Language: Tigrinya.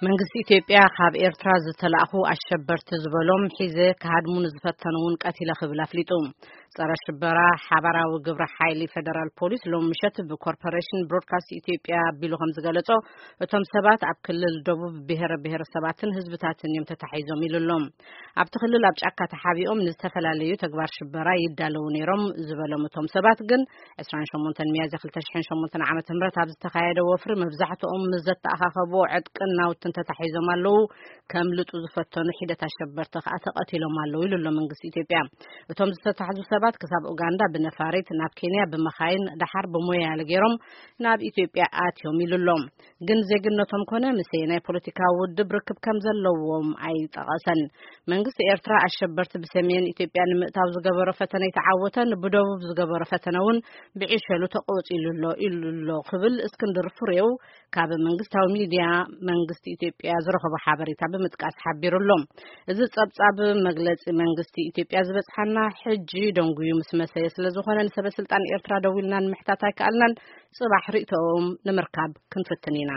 መንግስቲ ኢትዮጵያ ካብ ኤርትራ ዝተላእኹ ኣሸበርቲ ዝበሎም ሒዘ ክሃድሙ ንዝፈተኑ እውን ቀቲለ ክብል ኣፍሊጡ። ጸረ ሽበራ ሓባራዊ ግብረ ሓይሊ ፌደራል ፖሊስ ሎም ምሸት ብኮርፖሬሽን ብሮድካስት ኢትዮጵያ ኣቢሉ ከም ዝገለጾ፣ እቶም ሰባት ኣብ ክልል ደቡብ ብሔረ ብሔረሰባትን ህዝብታትን እዮም ተታሒዞም ኢሉ ኣሎ። ኣብቲ ክልል ኣብ ጫካ ተሓቢኦም ንዝተፈላለዩ ተግባር ሽበራ ይዳለዉ ነይሮም ዝበሎም እቶም ሰባት ግን፣ ዕስራን ሸሞንተን ሚያዝያ ክልተ ሽሕን ሸሞንተን ዓመተ ምህረት ኣብ ዝተኻየደ ወፍሪ መብዛሕትኦም ምስ ዘተኣኻኸብዎ ዕጥቅን ናውትን ተታሒዞም ኣለዉ። ከምልጡ ዝፈተኑ ሒደት ኣሸበርቲ ከኣ ተቐቲሎም ኣለዉ ኢሉ ኣሎ መንግስቲ ኢትዮጵያ። እቶም ዝተታሕዙ ሰባት ክሳብ ኡጋንዳ ብነፋሪት፣ ናብ ኬንያ ብመኻይን፣ ደሓር ብሞያለ ገይሮም ናብ ኢትዮጵያ ኣትዮም ኢሉ ኣሎ። ግን ዜግነቶም ኮነ ምስ ናይ ፖለቲካዊ ውድብ ርክብ ከም ዘለዎም ኣይጠቐሰን። መንግስቲ ኤርትራ ኣሸበርቲ ብሰሜን ኢትዮጵያ ንምእታው ዝገበሮ ፈተነ ይተዓወተን፣ ብደቡብ ዝገበሮ ፈተነ እውን ብዕሸሉ ተቆጺሉ ኣሎ ኢሉ ኣሎ ክብል እስክንድር ፍሬው ካብ መንግስታዊ ሚድያ መንግስቲ ኢትዮጵያ ዝረኸቦ ሓበሬታ ብምጥቃስ ሓቢሩ ኣሎ። እዚ ጸብጻብ መግለጺ መንግስቲ ኢትዮጵያ ዝበጽሓና ሕጂ ደንጉዩ ምስ መሰየ ስለ ዝኾነ፣ ንሰበ ስልጣን ኤርትራ ደዊልና ንምሕታት ኣይከኣልናን። ጽባሕ ርእይቶኦም ንምርካብ ክንፍትን ኢና።